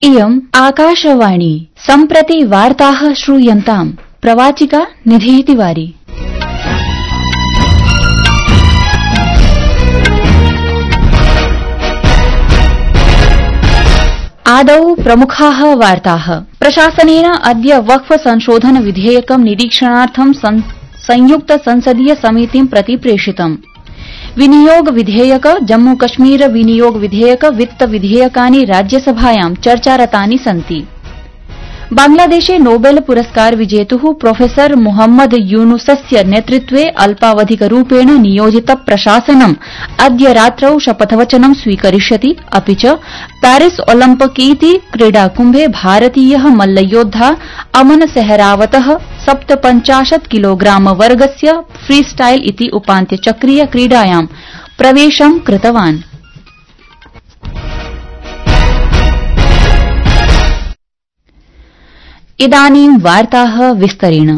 इयम् आकाशवाणी सम्प्रति वार्ताः श्रूयन्ताम् प्रवाचिका निधिः तिवारी। आदौ प्रमुखाः वार्ताः। प्रशासनेन अद्य वक्फ संशोधन विधेयकं निरीक्षणार्थं संयुक्त संसदीय समितिं प्रति प्रेषितम्। विनियोग विधेयक, जम्मू कश्मीर विनियोग विधेयक, वित्त विधेयकानि राज्यसभायां चर्चारतानि सन्ति। बांग्लादेशे नोबेल पुरस्कार विजेतुः प्रोफेसर मोहम्मद यूनुसस्य नेतृत्वे अल्पावधिकरूपेण नियोजित प्रशासनम् अद्य रात्रौ शपथवचनं स्वीकरिष्यति। अपि च पेरिस ओलम्पिक इति क्रीडाकुम्भे भारतीयः मल्लयोद्धा अमन सेहरावतः 57 किलोग्राम वर्गस्य फ्रीस्टाइल इति उपान्त्यचक्रीय क्रीडायां प्रवेशं कृतवान्। इदानीं वार्ताः विस्तरेण।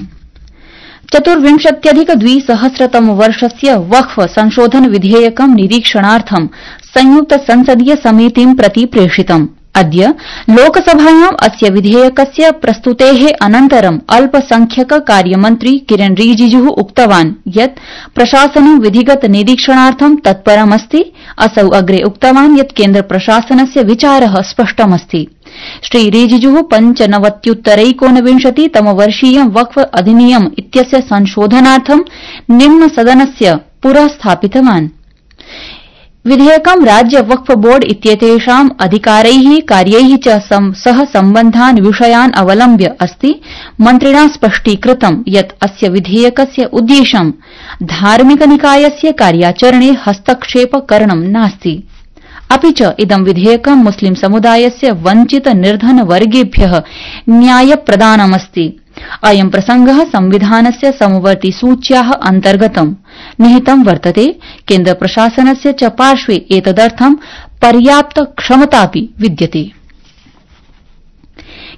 24,200 वर्षस्य वक्फ संशोधन विधेयकं निरीक्षणार्थं संयुक्त संसदीय समितिं प्रति प्रेषितम्। अद्य लोकसभायां अस्य विधेयकस्य प्रस्तुतेः अनन्तरं अल्पसंख्यक कार्यमन्त्री किरेन रिजिजुः उक्तवान् यत् प्रशासनं विधिगत निरीक्षणार्थं तत्परमस्ति। असौ अग्रे उक्तवान् यत् केन्द्रप्रशासनस्य विचारः स्पष्टमस्ति। श्री रिजिजुः 95-तमवर्षीयं वक्फ अधिनियम इत्यस्य संशोधनार्थं निम्नसदनस्य पुरः स्थापितवान्। विधेयकं राज्य वक्फ बोर्ड इत्येतेषाम् अधिकारैः कार्यैः च सह सम्बद्धान् विषयान् अवलम्ब्य अस्ति। मन्त्रिणा स्पष्टीकृतं यत् अस्य विधेयकस्य उद्देश्यं धार्मिकनिकायस्य कार्याचरणे हस्तक्षेपकरणं नास्ति। अपि च इदं विधेयकं मुस्लिम समुदायस्य वञ्चित निर्धनवर्गेभ्यः न्यायप्रदानमस्ति। अयं प्रसंगः संविधानस्य समवर्ति सूच्याः अन्तर्गतं निहितं वर्तते। केन्द्रप्रशासनस्य च पार्श्वे एतदर्थं पर्याप्त क्षमतापि विद्यते।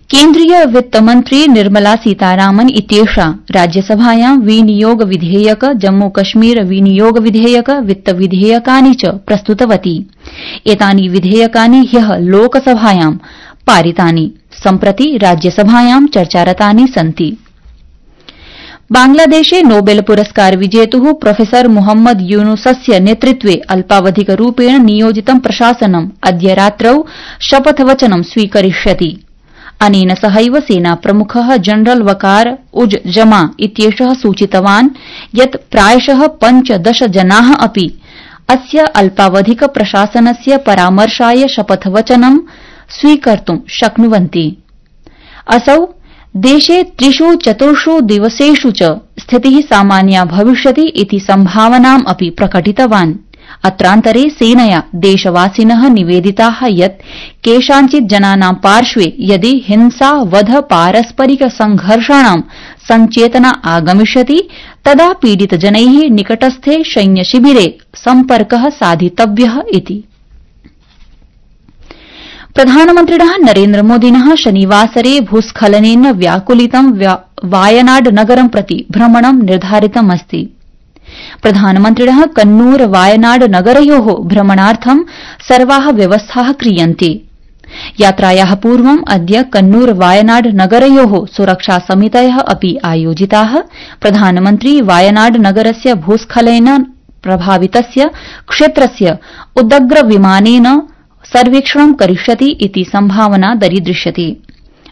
केन्द्रीय वित्तमन्त्री निर्मला सीतारामन इत्येषा राज्यसभायां विनियोग विधेयक, जम्मू कश्मीर विनियोग विधेयक, वित्त विधेयकानि च प्रस्तुतवती। एतानि विधेयकानि ह्यः लोकसभायां पारितानि। सम्प्रति राज्यसभायां चर्चारतानि सन्ति। बांग्लादेशे नोबेल पुरस्कार विजेतुः प्रोफेसर मोहम्मद यूनुसस्य नेतृत्वे अल्पावधिकरूपेण नियोजितं प्रशासनम् अद्य रात्रौ शपथवचनं स्वीकरिष्यति। अनेन सहैव सेनाप्रमुखः जनरल वकार उज जमा इत्येषः सूचितवान् यत् प्रायशः 15 जनाः अपि अस्य अल्पावधिक प्रशासनस्य परामर्शाय शपथवचनं स्वीकर्तुं शक्नुवन्ति। असौ देशे 3-4 दिवसेषु च स्थितिः सामान्या भविष्यति इति सम्भावनाम् अपि प्रकटितवान्। अत्रान्तरे सेनया देशवासिनः निवेदिताः यत् केषाञ्चित् जनानां पार्श्वे यदि हिंसा, वध, पारस्परिक संघर्षाणां संचेतना आगमिष्यति तदा पीडितजनैः निकटस्थे सैन्यशिबिरे सम्पर्कः साधितव्यः इति। प्रधानमन्त्रिणः नरेन्द्रमोदिनः शनिवासरे भूस्खलनेन व्याकुलितं वायनाड नगरं प्रति भ्रमणं निर्धारितमस्ति। प्रधानमन्त्रिणः कन्नूर वायनाड नगरयोः भ्रमणार्थं सर्वाः व्यवस्थाः क्रियन्ते। यात्रायाः पूर्वम् अद्य कन्नूर वायनाड नगरयोः सुरक्षासमितयः अपि आयोजिताः। प्रधानमन्त्री वायनाड नगरस्य भूस्खलनेन प्रभावितस्य क्षेत्रस्य उदग्र विमानेन सर्वेक्षणं करिष्यति इति सम्भावना दरीदृश्यते।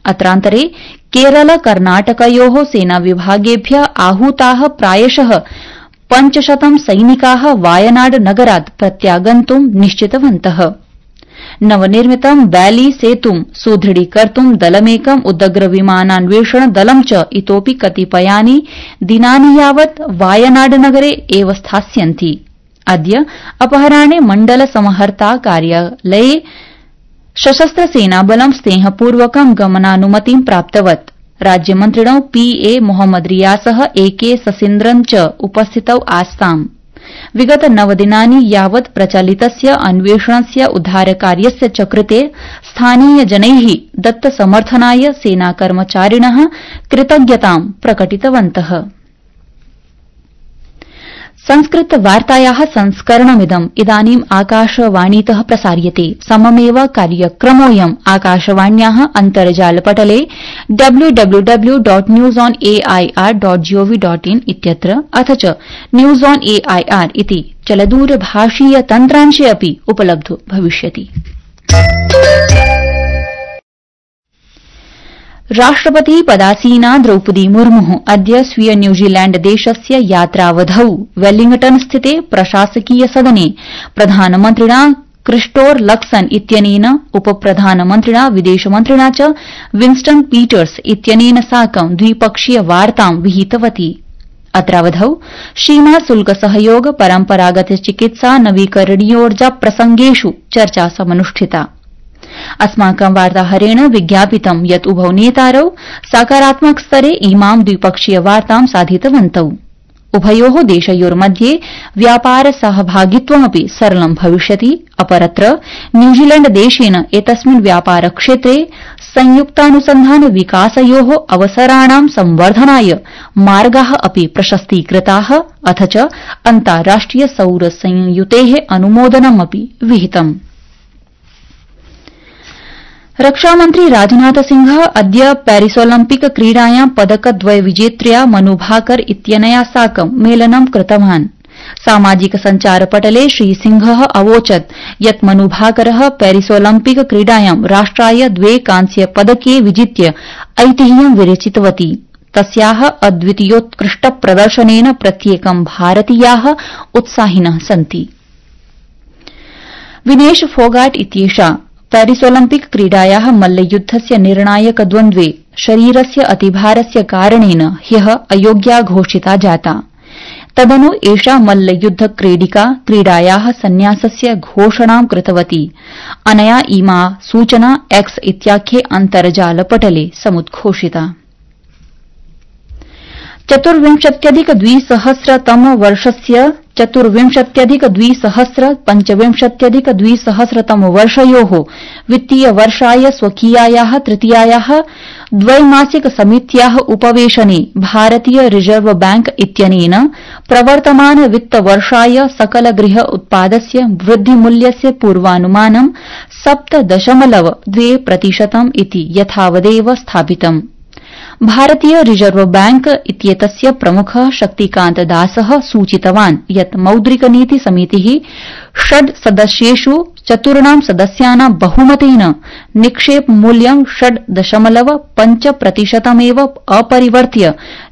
अत्रान्तरे केरल कर्नाटकयोः सेनाविभागेभ्यः आहूताः प्रायशः 500 सैनिकाः वायनाड नगरात् प्रत्यागन्तुं निश्चितवन्तः। नवनिर्मितं बैली सेतुं सुदृढीकर्तुं दलमेकं उदग्र विमानान्वेषण दलं च इतोऽपि कतिपयानि दिनानि यावत् वायनाड नगरे एव स्थास्यन्ति। अद्य अपराह्ने मण्डल समहर्ता कार्यालये सशस्त्र सेनाबलं स्नेहपूर्वकं गमनानुमतिं प्राप्तवत्। राज्यमन्त्रिणौ पीए मोहम्मद रियासः एके ससीन्द्रन् च उपस्थितौ आस्ताम्। विगत 9 दिनानि यावत् प्रचलितस्य अन्वेषणस्य उद्धारकार्यस्य च कृते स्थानीयजनैः दत्तसमर्थनाय सेनाकर्मचारिणः कृतज्ञतां प्रकटितवन्तः। संस्कृत वार्तायाः संस्करणमिदं इदानीम् आकाशवाणीतः प्रसार्यते। सममेव कार्यक्रमोऽयम् आकाशवाण्याः अन्तर्जालपटले www.newsonair.gov.in इत्यत्र अथ च न्यूज ऑन एआईआर इति चलदूरभाषीय तन्त्रांशे अपि उपलब्धो भविष्यति। राष्ट्रपति पदासीना द्रौपदी मुर्मु अद्य स्वीय न्यूजीलैण्ड देशस्य यात्रावधौ वेलिंगटन स्थिते प्रशासकीय सदने प्रधानमन्त्रिणा क्रिस्टोर लक्सन इत्यनेन उपप्रधानमन्त्रिणा विदेशमन्त्रिणा च विंस्टन पीटर्स इत्यनेन साकं द्विपक्षीय वार्तां विहितवती। अत्रावधौ सीमा शुल्क सहयोग परम्परागत चिकित्सा नवीकरणीयोर्जा प्रसंगेषु चर्चा समनुष्ठिता। अस्माकं वार्ताहरेण विज्ञापितं यत् उभौ नेतारौ सकारात्मक स्तरे इमां द्विपक्षीय वार्तां साधितवन्तौ। उभयोः देशयोर्मध्ये व्यापार सहभागित्वमपि सरलं भविष्यति। अपरत्र न्यूजीलैण्ड देशेन एतस्मिन् व्यापार क्षेत्रे संयुक्तानुसन्धान विकासयोः अवसराणां संवर्धनाय मार्गाः अपि प्रशस्तीकृताः अथ च अन्ताराष्ट्रिय सौर संयुतेः अनुमोदनमपि विहितम्। रक्षामन्त्री राजनाथ सिंह अद्य पेरिसोलम्पिक क्रीडायां पदकद्वय विजेत्र्या मनु भाकर इत्यनया साकं मेलनं कृतवान्। सामाजिक सञ्चारपटले श्रीसिंहः अवोचत् यत् मनु भाकरः पेरिसोलम्पिक क्रीडायां राष्ट्राय 2 कांस्य पदके विजित्य ऐतिह्यं विरचितवती। तस्याः अद्वितीयोत्कृष्ट प्रदर्शनेन प्रत्येकं भारतीयाः उत्साहिनः सन्ति। विनेश फोगाट इत्येषा पेरिसोलम्पिक क्रीडायाः मल्लयुद्धस्य निर्णायक द्वन्द्वे शरीरस्य अतिभारस्य कारणेन ह्यः अयोग्या घोषिता जाता। तदनु एषा मल्लयुद्ध क्रीडिका क्रीडायाः संन्यासस्य घोषणां कृतवती। अनया इमा सूचना एक्स इत्याख्ये अन्तर्जालपटले समुद्घोषिता। 24,200 वर्षयोः वित्तीय वर्षाय स्वकीयायाः तृतीयायाः द्वैमासिक समित्याः उपवेशने भारतीय रिजर्व बैंक इत्यनेन प्रवर्तमान वित्तवर्षाय सकल गृह उत्पादस्य वृद्धिमूल्यस्य पूर्वानुमानं 7.2% इति यथावदेव स्थापितम्। भारतीय रिजर्व बैंक इत्येतस्य प्रमुखः शक्तिकान्त दासः सूचितवान् यत् मौद्रिक नीति समितिः 6 सदस्येषु 4 सदस्यानां बहुमतेन निक्षेप मूल्यं 6.5% एव अपरिवर्त्य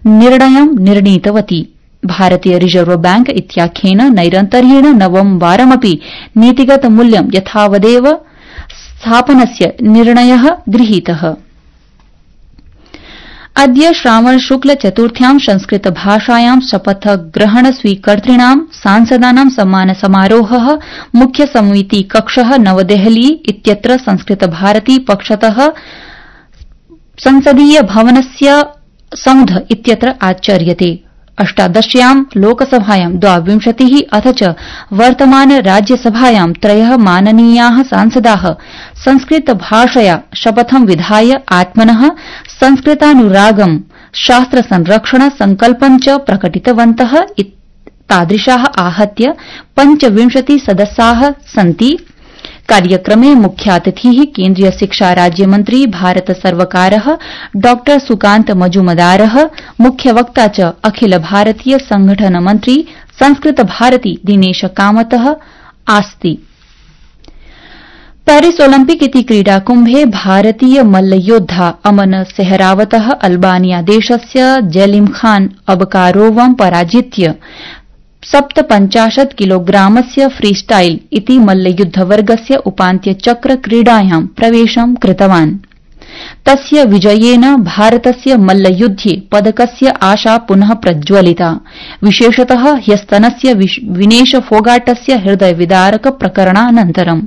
निर्णयं निर्णीतवती। भारतीय रिजर्व बैंक इत्याख्येन नैरन्तर्येण नवमवारमपि नीतिगत मूल्यं यथावदेव स्थापनस्य निर्णयः गृहीतः। अद्य श्रावण शुक्ल चतुर्थ्यां संस्कृत भाषायां शपथग्रहण स्वीकर्तॄणां सांसदानां सम्मान समारोहः मुख्य समिति कक्षः नवदेहली इत्यत्र संस्कृत भारती पक्षतः संसदीय भवनस्य सौध इत्यत्र आचर्यते। 18 लोकसभायां 22 अथ च वर्तमान राज्यसभायां 3 माननीयाः सांसदाः संस्कृत भाषया शपथं विधाय आत्मनः संस्कृतानुरागं शास्त्र संरक्षण संकल्पं च प्रकटितवन्तः। तादृशाः आहत्य 25 सदस्याः सन्ति। कार्यक्रमे मुख्यातिथिः केन्द्रीय शिक्षा राज्यमन्त्री भारत सर्वकारः डॉ सुकान्त मजुमदारः, मुख्यवक्ता च अखिल भारतीय संगठन मंत्री संस्कृत भारती दिनेश कामतः आस्ति। पेरिस ओलम्पिक इति क्रीडाकुम्भे भारतीय मल्लयोद्धा अमन सेहरावतः अल्बानिया देशस्य जेलिम खान अबकारोवं पराजित्य 57 किलोग्रामस्य फ्रीस्टाइल इति मल्लयुद्धवर्गस्य उपान्त्यचक्र क्रीडायां प्रवेशं कृतवान्। तस्य विजयेन भारतस्य मल्लयुद्धे पदकस्य आशा पुनः प्रज्वलिता। विशेषतः ह्यस्तनस्य विनेश फोगाटस्य हृदयविदारक प्रकरणानन्तरम्।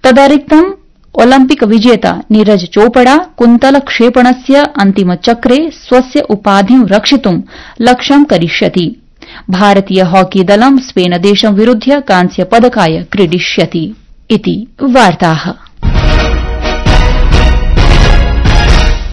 तदरिक्तम् ओलम्पिक विजेता नीरज चोपड़ा कुन्तल क्षेपणस्य अन्तिमचक्रे स्वस्य उपाधिं रक्षितुं लक्ष्यं करिष्यति। भारतीय हॉकी दलं स्पेन देशं विरुध्य कांस्य पदकाय क्रीडिष्यति इति वार्ताः।